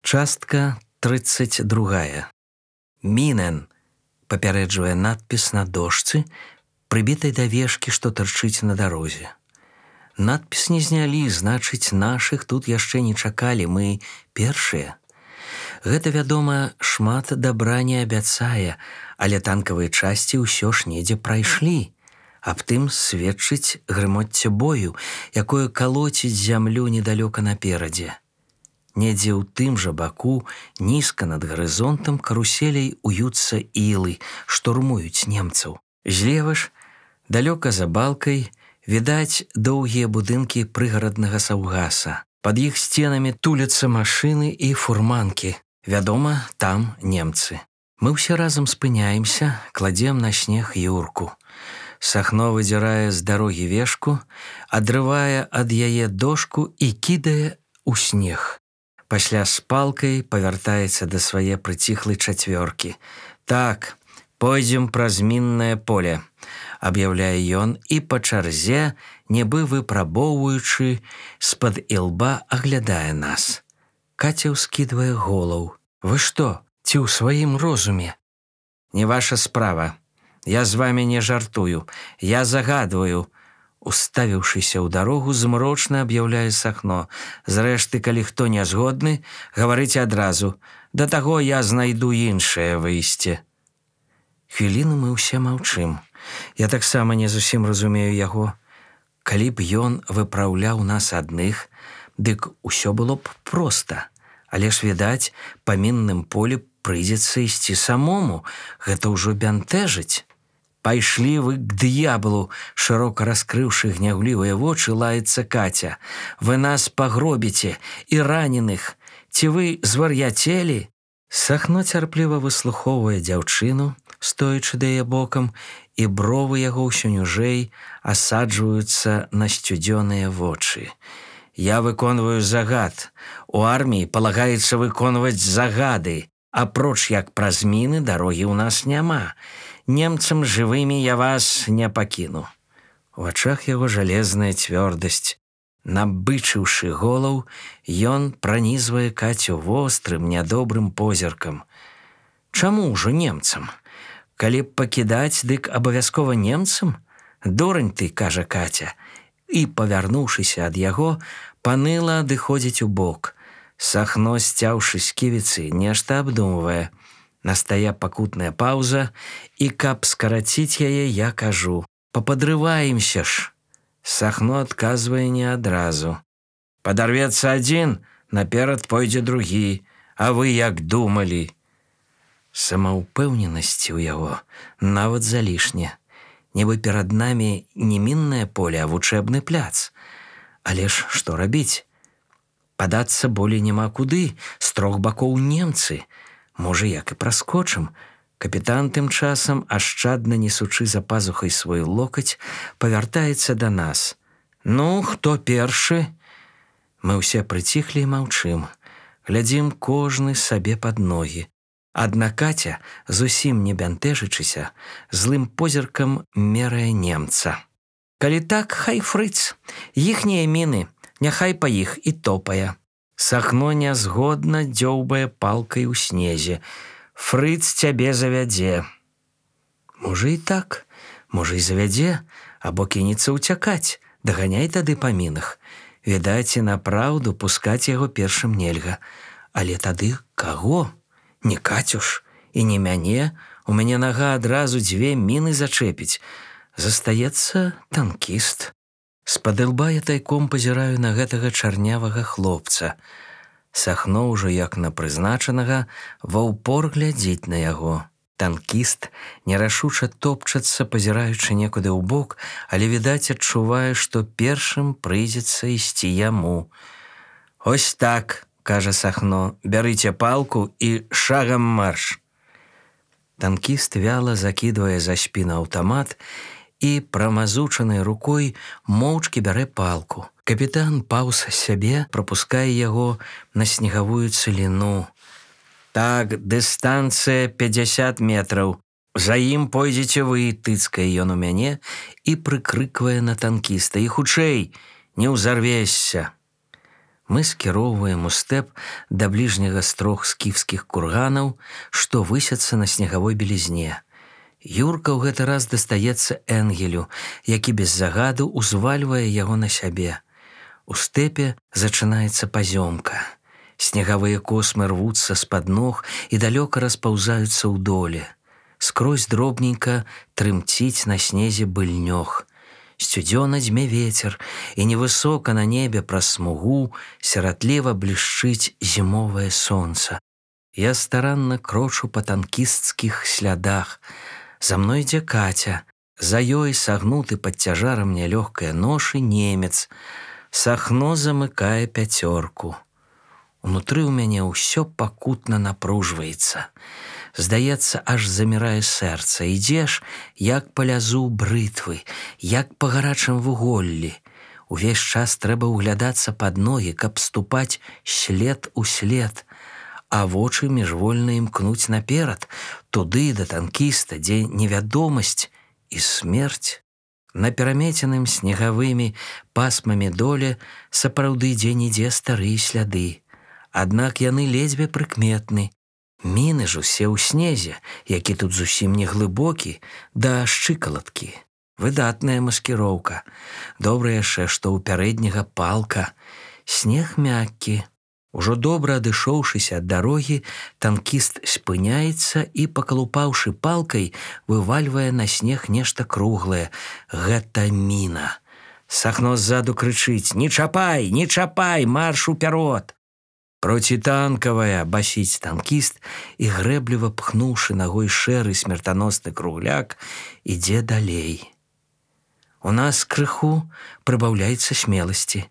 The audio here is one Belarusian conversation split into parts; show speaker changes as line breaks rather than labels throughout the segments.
Частка 32. Мінен, папярэджвае надпіс на дошцы, прыбітай да вешкі, што тырчыць на дарозе. Надпіс не знялі, значыць, нашых тут яшчэ не чакалі, мы першыя. Гэта, вядома, шмат дабра не абяцае, але танкавыя часці ўсё ж недзе прайшлі. Аб тым сведчыць грымоцце бою, якое калоціць зямлю недалёка наперадзе. Недзе ў тым жа баку, нізка над гарызонтам каруселей уюцца ілы, штурмуюць немцаў. Злева ж, далёка за балкай, відаць доўгія будынкі прыгараднага саўгаса. Пад іх сценамі туляцца машыны і фурманкі. Вядома, там немцы. Мы ўсе разам спыняемся, кладзем на снег юрку. Сахно выдзірае з дарогі вешку, адрывае ад яе дошку і кідае ў снег. Пасля з палкай павяртаецца да свае прыціхлай чацвёркі. «Так, пойдзем праз міннае поле», – аб'яўляе ён і па чарзе, нібы выпрабоўваючы, з-пад ілба аглядае нас. Каця ўскідвае голаў. «Вы што, ці ў сваім розуме?» «Не ваша справа. Я з вамі не жартую. Я загадваю». Уставіўшыся ў дарогу, змрочна аб'яўляе Сахно. «Зрэшты, калі хто не згодны, гаварыце адразу. Да таго я знайду іншае выйсце». Хвіліну мы ўсе маўчым. Я таксама не зусім разумею яго. Калі б ён выпраўляў нас адных, дык усё было б проста. Але ж, відаць, па мінным полі прыйдзецца ісці самому. Гэта ўжо бянтэжыць. «Пайшлі вы к д'яблу!» – шырока раскрыўшы гнявлівыя вочы, лаецца Каця. «Вы нас пагробіце і раненых! Ці вы звар'яцелі?» Сахно цярпліва выслухоўвае дзяўчыну, стоячы да яе бокам, і бровы яго ўсё ніжэй асаджваюцца на сцюдзёныя вочы. «Я выконваю загад. У арміі палагаецца выконваць загады. Апроч як праз міны дарогі ў нас няма. Немцам жывымі я вас не пакіну». У вачах яго жалезная цвёрдасць. Набычыўшы голаў, ён пранізвае Кацю вострым, нядобрым позіркам. «Чаму ўжо немцам? Калі б пакідаць, дык абавязкова немцам? Дурань ты», – кажа Каця. І, павярнуўшыся ад яго, паныла адыходзіць у бок. Сахно, сцяўшы сківіцы, нешта абдумвае. Настае пакутная паўза, і каб скараціць яе, я кажу: «Пападрываемся ж». Сахно адказвае не адразу. «Падарвецца адзін, наперад пойдзе другі. А вы як думалі?» Самаўпэўненасці ў яго нават залішне. Нібы перад намі не міннае поле, а вучэбны пляц. Але ж што рабіць? Падацца болей няма куды, з трох бакоў немцы. Можа, як і праскочым. Капітан тым часам, ашчадна несучы за пазухай свой локаць, павяртаецца да нас. «Ну, хто першы?» Мы ўсе прыціхлі і маўчым. Глядзім кожны сабе пад ногі. Адна Каця, зусім не бянтэжачыся, злым позіркам мерае немца. «Калі так, хай фрыц. Іхнія міны, няхай па іх і топае». Сахно нязгодна дзёўбае палкай у снезе. «Фрыц цябе завядзе». Можа і так, можа і завядзе, або кінецца ўцякаць, даганяй тады па мінах. Відаць, і напраўду пускаць яго першым нельга. Але тады каго? Не Кацю ж, і не мяне. У мяне нага адразу 2 міны зачэпіць. Застаецца танкіст. З-пад ілба я тайком пазіраю на гэтага чарнявага хлопца. Сахно ўжо як на прызначанага ва ўпор глядзіць на яго. Танкіст нерашуча топчацца, пазіраючы некуды ў бок, але, відаць, адчувае, што першым прыйдзецца ісці яму. «Ось так», – кажа Сахно, – «бярыце палку і шагам марш». Танкіст вяла закідвае за спіну аўтамат і прамазучанай рукой моўчкі бярэ палку. Капітан паўз сябе, прапускае яго на снегавую цыліну. «Так, дыстанцыя 50 метраў. За ім пойдзеце вы», – тыцкае ён у мяне і прыкрыквае на танкіста. «І хутчэй, не ўзарвешся». Мы скіроўваем у стэп да бліжняга з 3 скіфскіх курганаў, што высяцца на снегавой белізне. Юрка ў гэты раз дастаецца Энгелю, які без загаду узвальвае яго на сябе. У стэпе зачынаецца пазёмка. Снегавыя космы рвуцца з-пад ног і далёка распаўзаюцца ў доле. Скрозь дробненька трымціць на снезе быльнёг. Сцюдзёна дзьме вецер, і невысока на небе праз смугу сіратліва блішчыць зімовае сонца. Я старанна крочу па танкісцкіх слядах. За мной ідзе Каця. За ёй сагнуты пад цяжарам нялёгкае ношы немец. Сахно замыкае 5. Унутры ў мяне ўсё пакутна напружваецца. Здаецца, аж замірае сэрца. Ідзеш, як па лязу брытвы, як па гарачым вуголлі. Увесь час трэба ўглядацца пад ногі, каб ступаць след у след, а вочы міжвольна імкнуць наперад, туды да танкіста, дзе невядомасць і смерць. На перамеценым снегавымі пасмамі доле сапраўды дзе-нідзе старыя сляды. Аднак яны ледзьве прыкметны. Міны ж усе ў снезе, які тут зусім не глыбокі, да шчыкалаткі. Выдатная маскіроўка. Добра яшчэ, што ў пярэдняга палка. Снег мяккі. Ужо добра адышоўшыся ад дарогі, танкіст спыняецца і, пакалупаўшы палкай, вывальвае на снег нешта круглае. Гэта міна. Сахно ззаду крычыць: «Не чапай, не чапай, марш уперод!» «Процітанкавая!» – басіць танкіст і, грэбліва пхнуўшы нагой шэры смертаносны кругляк, ідзе далей. У нас крыху прыбаўляецца смеласці.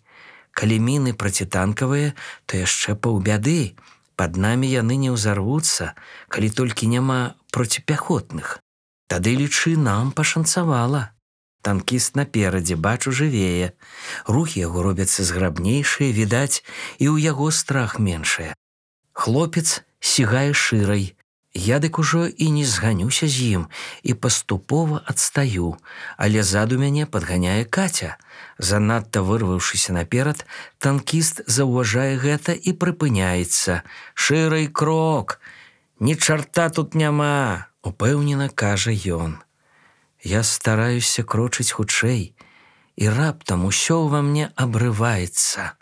Калі міны процітанкавыя, то яшчэ паўбяды. Пад намі яны не ўзарвуцца, калі толькі няма проціпяхотных. Тады, лічы, нам пашанцавала. Танкіст наперадзе, бачу, жывее. Рухі яго робяцца зграбнейшыя, відаць, і ў яго страх меншае. Хлопец сігае шырай. Я дык ужо і не зганюся з ім і паступова адстаю, але ззаду мяне падганяе Каця. Занадта вырваўшыся наперад, танкіст заўважае гэта і прыпыняецца. «Шырай крок! Ні чарта тут няма!» – упэўнена кажа ён. Я стараюся крочыць хутчэй, і раптам усё ўва мне абрываецца.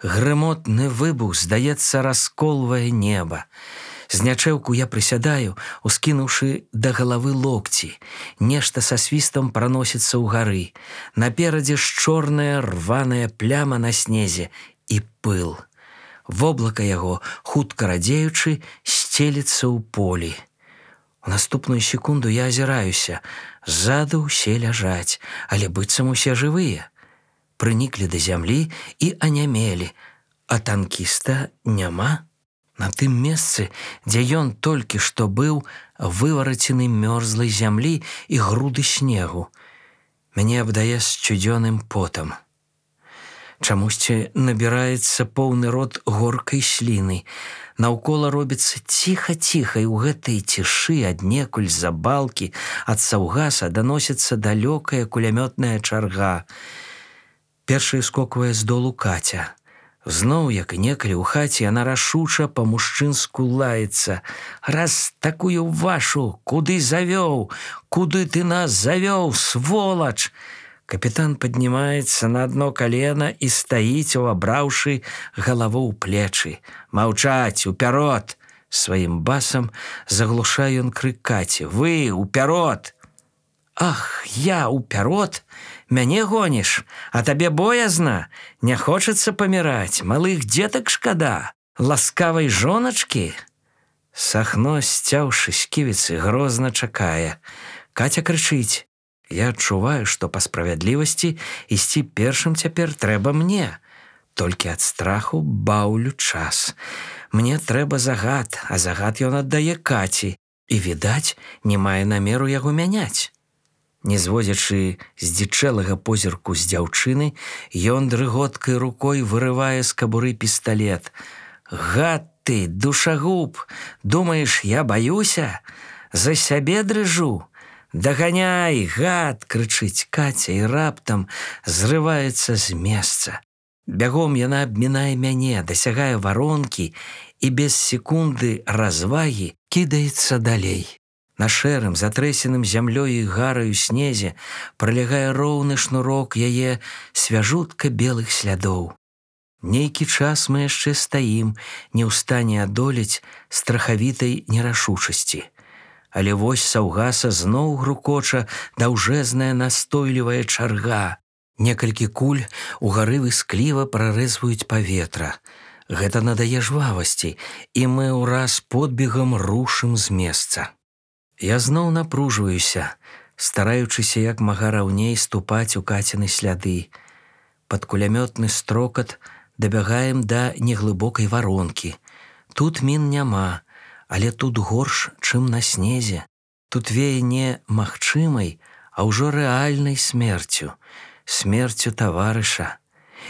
Грымотны выбух, здаецца, расколвае неба. Знячэўку я прысядаю, ускінуўшы да галавы локці. Нешта са свістам праносіцца ўгары. Наперадзе ж чорная рваная пляма на снезе і пыл. Воблака яго, хутка радзеючы, сцеліцца ў полі. У наступную секунду я азіраюся. Ззаду ўсе ляжаць, але быццам усе жывыя. Прыніклі да зямлі і анямелі, а танкіста няма. На тым месцы, дзе ён толькі што быў, выварацены мёрзлай зямлі і груды снегу. Мяне абдае сцюдзёным потам. Чамусьці набіраецца поўны рот горкай сліны. Наўкола робіцца ціха-ціха, і ў гэтай цішы аднекуль з-за балкі ад саўгаса даносіцца далёкая кулямётная чарга. Першая скоквае з долу Каця. Зноў, як і некалі ў хаце, яна рашуча па-мужчынску лаецца: «Раз такую вашу, куды завёў? Куды ты нас завёў, сволач?» Капітан паднімаецца на адно калена і стаіць, увабраўшы галаву ў плечы. «Маўчаць, уперод!» Сваім басам заглушае ён крык Каці. «Вы, уперод!» «Ах, я уперод? Мяне гоніш? А табе боязна? Не хочацца паміраць? Малых дзетак шкада? Ласкавай жоначкі?» Сахно, сцяўшы сківіцы, грозна чакае. Каця крычыць. Я адчуваю, што па справядлівасці ісці першым цяпер трэба мне. Толькі ад страху баўлю час. Мне трэба загад, а загад ён аддае Каці. І, відаць, не мае намеру яго мяняць. Не зводзячы здзічэлага позірку з дзяўчыны, ён дрыготкай рукой вырывае з кабуры пісталет. «Гад ты, душагуб! Думаеш, я баюся? За сябе дрыжу? Даганяй, гад!» — крычыць Каця і раптам зрываецца з месца. Бягом яна абмінае мяне, дасягае варонкі і без секунды развагі кідаецца далей. На шэрым, затрэсеным зямлёй і гараю снезе пралягае роўны шнурок яе свяжутка белых слядоў. Нейкі час мы яшчэ стаім, не ў стане адолець страхавітай нерашучасці. Але вось саўгаса зноў грукоча даўжэзная настойлівая чарга. Некалькі куль угары выскліва прарэзваюць паветра. Гэта надае жвавасці, і мы ўраз подбегам рушым з месца. Я зноў напружваюся, стараючыся як мага раўней ступаць у Каціны сляды. Пад кулямётны строкат дабягаем да неглыбокай варонкі. Тут мін няма, але тут горш, чым на снезе. Тут вее не магчымай, а ўжо рэальнай смерцю. Смерцю таварыша.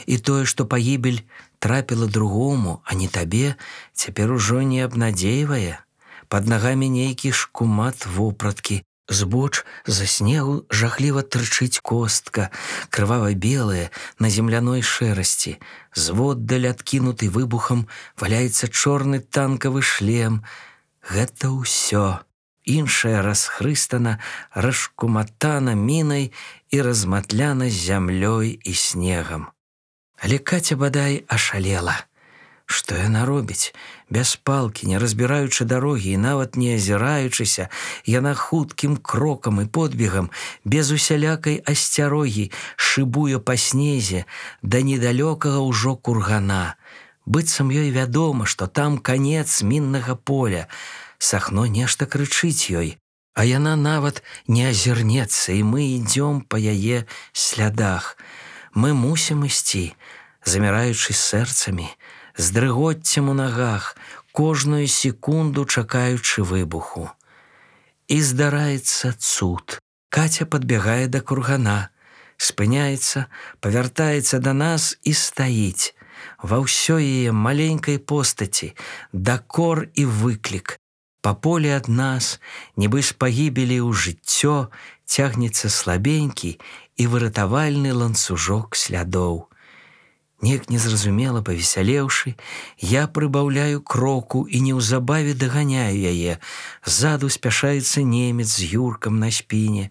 І тое, што пагібель трапіла другому, а не табе, цяпер ужо не абнадзейвае. Пад нагамі нейкі шкумат вопраткі. Збоч за снегу жахліва трычыць костка, крывава-белая, на земляной шэрасці. Зводдаль адкінуты выбухам валяецца чорны танкавы шлем. Гэта ўсё. Іншая расхрыстана, расшкуматана мінай і разматляна зямлёй і снегам. Але Каця бадай ашалела. Што яна робіць? Без палкі, не разбіраючы дарогі і нават не азіраючыся, яна хуткім крокам і подбегам, без усялякай асцярогі, шыбуе па снезе да недалёкага ўжо кургана. Быццам ёй вядома, што там канец міннага поля. Сахно нешта крычыць ёй, а яна нават не азірнецца, і мы ідзём па яе слядах. Мы мусім ісці, заміраючы сэрцамі, з дрыгоццем у нагах, кожную секунду чакаючы выбуху. І здараецца цуд. Каця падбягае да кургана, спыняецца, павяртаецца да нас і стаіць. Ва ўсёй яе маленькай постаці дакор і выклік. Па полі ад нас, нібы з пагібелі ў жыццё, цягнецца слабенькі і выратавальны ланцужок слядоў. Неяк незразумела павесялеўшы, я прыбаўляю кроку і неўзабаве даганяю яе. Ззаду спяшаецца немец з Юркам на спіне.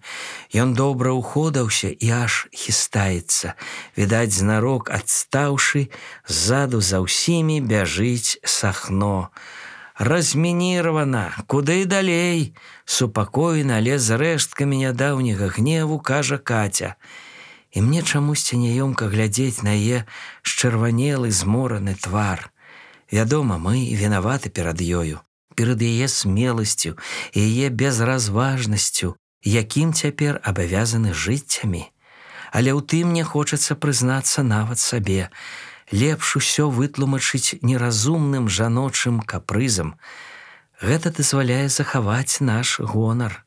Ён добра ўходаўся і аж хістаецца. Відаць, знарок адстаўшы, ззаду за ўсімі бяжыць Сахно. «Размінирована! Куды далей?» Супакоена, але з рэшткамі нядаўняга гневу кажа Каця. І мне чамусьці няёмка глядзець на яе счырванелы, змораны твар. Вядома, мы вінаваты перад ёю, перад яе смеласцю і яе безразважнасцю, якім цяпер абавязаны жыццямі. Але ў тым не хочацца прызнацца нават сабе. Лепш усё вытлумачыць неразумным жаночым капрызам. Гэта дазваляе захаваць наш гонар.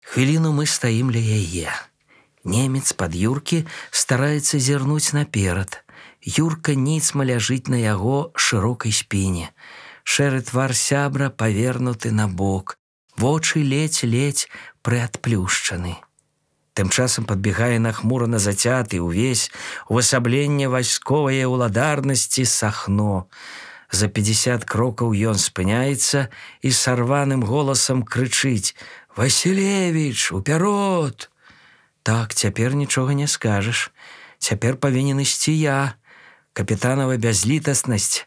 Хвіліну мы стаім ля яе. Немец пад Юркі стараецца зірнуць наперад. Юрка ніцма ляжыць на яго шырокай спіне. Шэры твар сябра павернуты на бок. Вочы ледзь-ледзь прыадплюшчаны. Тым часам падбегае нахмурана зацяты ўвесь увасабленне вайсковае ўладарнасці Сахно. За 50 крокаў ён спыняецца і сарваным голасам крычыць: «Васілевіч, уперод!» Так, цяпер нічога не скажаш. Цяпер павінен ісці я. Капітанава бязлітаснасць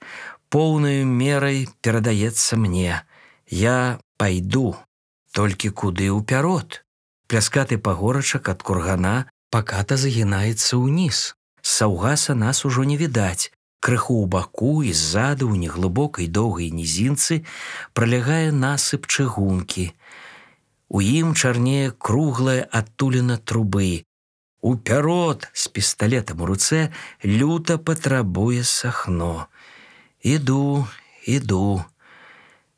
поўнаю мерай перадаецца мне. Я пайду, толькі куды ўперод? Пляскаты пагорачак ад кургана паката загінаецца ўніз. З саўгаса нас ужо не відаць. Крыху ў баку і ззаду ў неглыбокай доўгай нізінцы пралягае насып чыгункі. У ім чарнее круглая адтуліна трубы. Уперод з пісталетам у руцэ люта патрабуе Сахно. Іду.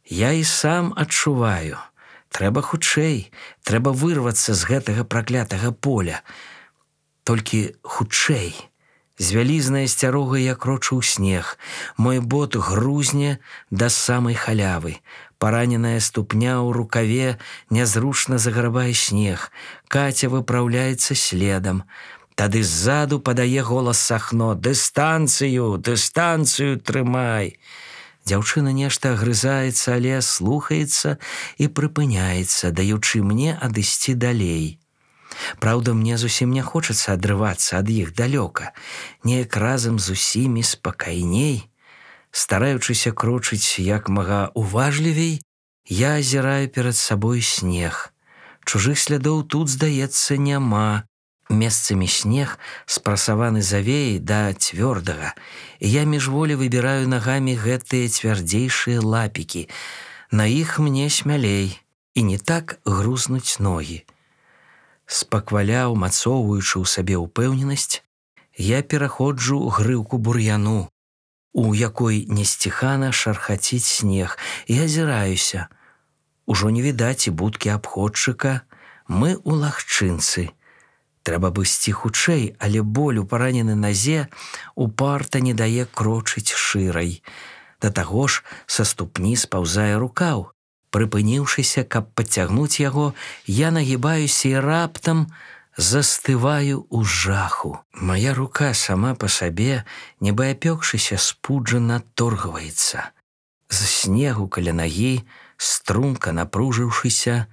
Я і сам адчуваю. Трэба хутчэй, трэба вырвацца з гэтага праклятага поля. Толькі хутчэй. З вялізнай асцярогай я крочу ў снег. Мой бот грузне да самай халявы. Параненая ступня ў рукаве нязручна заграбае снег. Каця выпраўляецца следам. Тады ззаду падае голас Сахно: «Дыстанцыю, дыстанцыю трымай!» Дзяўчына нешта агрызаецца, але слухаецца і прыпыняецца, даючы мне адысці далей. Праўда, мне зусім не хочацца адрывацца ад іх далёка. Неяк разам з усімі спакайней. Стараючыся крочыць як мага уважлівей, я азіраю перад сабой снег. Чужых слядоў тут, здаецца, няма. Месцамі снег спрасаваны завеяй да цвёрдага, і я міжволі выбіраю нагамі гэтыя цвярдзейшыя лапікі. На іх мне смялей, і не так грузнуць ногі. Спакваля, умацоўваючы ў сабе ўпэўненасць, я пераходжу грыўку бур'яну, у якой несціхана шархаціць снег, і азіраюся. Ужо не відаць і будкі абходчыка, мы ў лагчынцы. Трэба бы ісці хутчэй, але боль у параненай назе упарта не дае крочыць шырай. Да таго ж са ступні спаўзае рукаў. Прыпыніўшыся, каб падцягнуць яго, я нагібаюся і раптам застываю ў жаху. Мая рука сама па сабе, нібы апёкшыся, спуджана торгваецца. З снегу каля нагі, струнка напружыўшыся,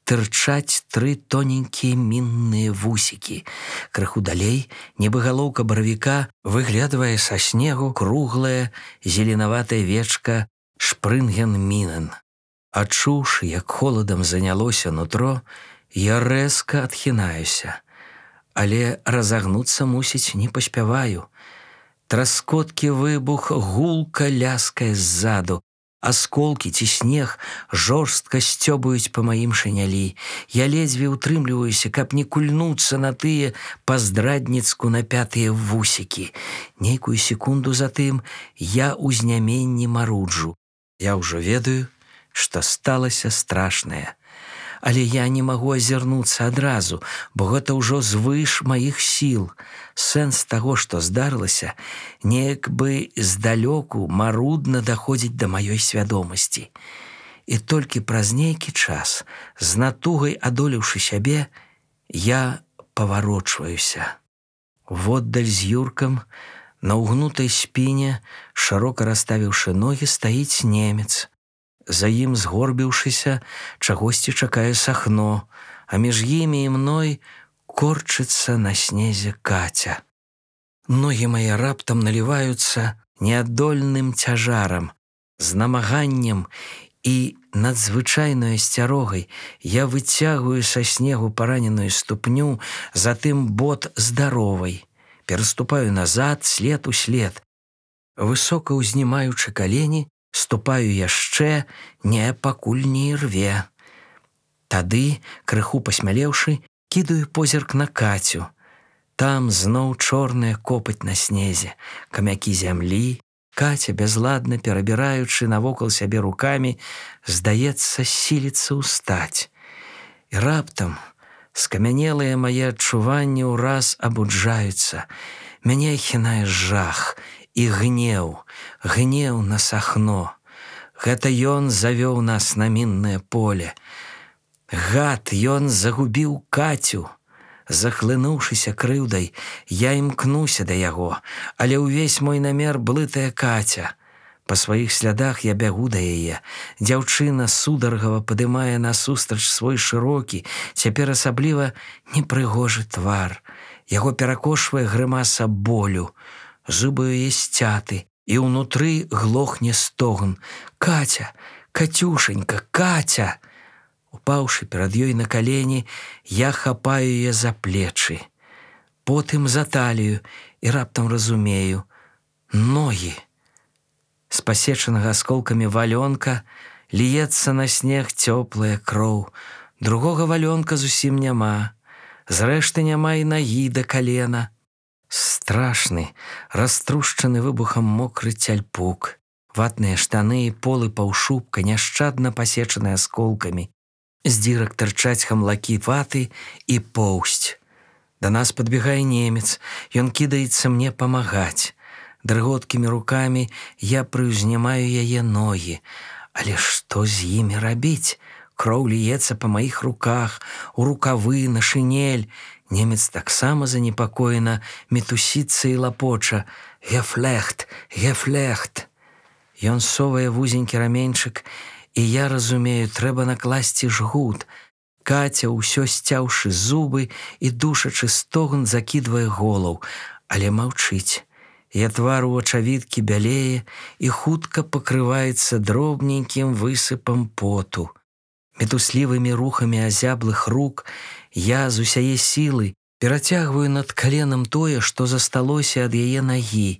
тырчаць 3 тоненькія мінныя вусікі. Крыху далей, нібы галоўка баравіка, выглядвае са снегу круглая зеленаватая вечка Шпрынген-Мінен. Адчуўшы, як холадам занялося нутро, я рэзка адхінаюся, але разагнуцца, мусіць, не паспяваю. Траскоткі выбух гулка ляскае ззаду, асколкі ці снег жорстка сцёбаюць па маім шынялі. Я ледзьве ўтрымліваюся, каб не кульнуцца на тыя па-здрадніцку напятыя вусікі. Нейкую секунду затым я ў зняменні маруджу. Я ўжо ведаю, што сталася страшнае. Але я не магу азірнуцца адразу, бо гэта ўжо звыш маіх сіл. Сэнс таго, што здарылася, неяк бы здалёку марудна даходзіць да маёй свядомасці. І толькі праз нейкі час, з натугай адолеўшы сябе, я паварочваюся. Воддаль з Юркам, на ўгнутай спіне, шырока расставіўшы ногі, стаіць немец. За ім, згорбіўшыся, чагосьці чакае Сахно, а між імі і мной корчыцца на снезе Каця. Ногі мае раптам наліваюцца неадольным цяжарам. З намаганнем і надзвычайнай асцярогай я выцягваю са снегу параненую ступню, затым бот здаровай. Пераступаю назад, след у след. Высока ўзнімаючы калені, ступаю яшчэ, не пакуль не ірве. Тады, крыху пасмялеўшы, кідаю позірк на Кацю. Там зноў чорная копаць на снезе, камякі зямлі. Каця, бязладна перабіраючы навокал сябе рукамі, здаецца, сіліцца ўстаць. І раптам скамянелыя мае адчуванні ўраз абуджаюцца. Мяне ахінае жах і гнеў, гнеў на Сахно. Гэта ён завёў нас на міннае поле. Гад, ён загубіў Кацю. Захлынуўшыся крыўдай, я імкнуся да яго, але ўвесь мой намер блытая Каця. Па сваіх слядах я бягу да яе. Дзяўчына сударгава падымае насустрач свой шырокі, цяпер асабліва непрыгожы твар. Яго перакошвае грымаса болю. Зубы яе сцяты, і ўнутры глохне стогн. «Каця! Кацюшенька! Каця!» Упаўшы перад ёй на калені, я хапаю яе за плечы, потым за талію і раптам разумею – ногі. З пасечанага асколкамі валёнка ліецца на снег цёплая кроў. Другога валёнка зусім няма. Зрэшты, няма і нагі да калена. Страшны, раструшчаны выбухам мокры цяльпук. Ватныя штаны і полы паўшубка няшчадна пасечаны асколкамі. З дзірак тырчаць хамлакі ваты і поўсць. Да нас падбегае немец. Ён кідаецца мне памагаць. Дрыготкімі рукамі я прыўзнімаю яе ногі. Але што з імі рабіць? Кроў ліецца па маіх руках, у рукавы, на шинель. Немец таксама занепакоена мітусіцца і лапоча: «Гефлехт, гефлехт». Ён совае вузенькі раменьчык, і я разумею, трэба накласці жгут. Каця, усё сцяўшы зубы і душачы стогн, закідвае голаў, але маўчыць. Я твар у ачавіткі бялее і хутка пакрываецца дробненькім высыпам поту. Мітуслівымі рухамі азяблых рук я з усяе сілы перацягваю над каленам тое, што засталося ад яе нагі.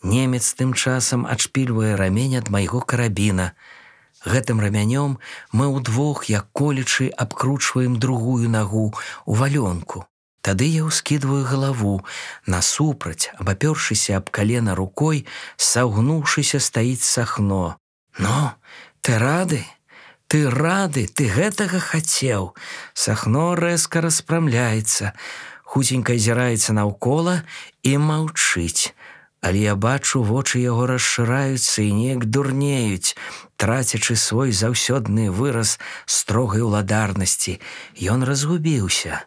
Немец тым часам адшпільвае рамень ад майго карабіна. Гэтым рамянём мы ўдвох, як колючы, абкручваем другую нагу у валёнку. Тады я ўскідваю галаву. Насупраць, абапёршыся аб калена рукой, сагнуўшыся, стаіць Сахно. «Ну, ты рады? Ты рады? Ты гэтага хацеў?» Сахно рэзка распрамляецца, хуценька азіраецца наўкола і маўчыць. Але я бачу, вочы яго расшыраюцца і неяк дурнеюць, трацячы свой заўсёдны выраз строгай уладарнасці. Ён разгубіўся,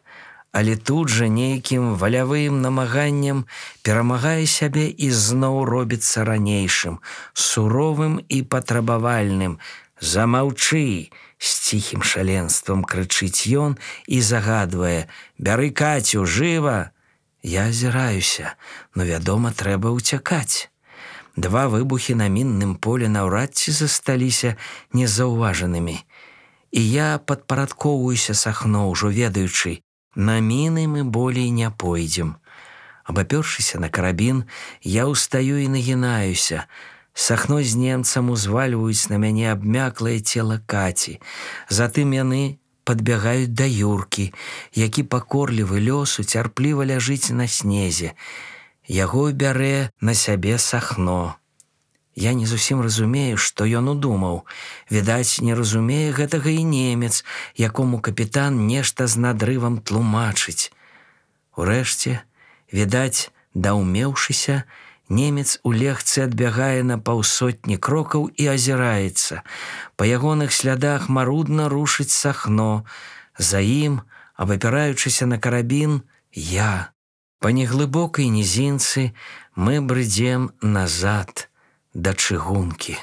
але тут жа нейкім валявым намаганнем перамагае сябе і зноў робіцца ранейшым, суровым і патрабавальным. «Замаўчы!» — з ціхім шаленствам крычыць ён і загадвае: «Бяры Кацю, жыва!» Я азіраюся, но, вядома, трэба ўцякаць. Два выбухі на мінным полі наўрад ці засталіся незаўважанымі. І я падпарадкоўваюся Сахно, ужо ведаючы, на міны мы болей не пойдзем. Абапёршыся на карабін, я ўстаю і нагінаюся. Сахно з немцам узвальваюць на мяне абмяклае цела Каці. Затым яны падбягаюць да Юркі, які пакорлівы лёсу цярпліва ляжыць на снезе. Яго бярэ на сябе Сахно. Я не зусім разумею, што ён удумаў. Відаць, не разумее гэтага і немец, якому капітан нешта з надрывам тлумачыць. Урэшце, відаць, даўмеўшыся, немец у легцы адбягае на паўсотні крокаў і азіраецца. Па ягоных слядах марудна рушыць Сахно. За ім, абапіраючыся на карабін, я. Па неглыбокай нізінцы мы брыдзем назад да чыгункі.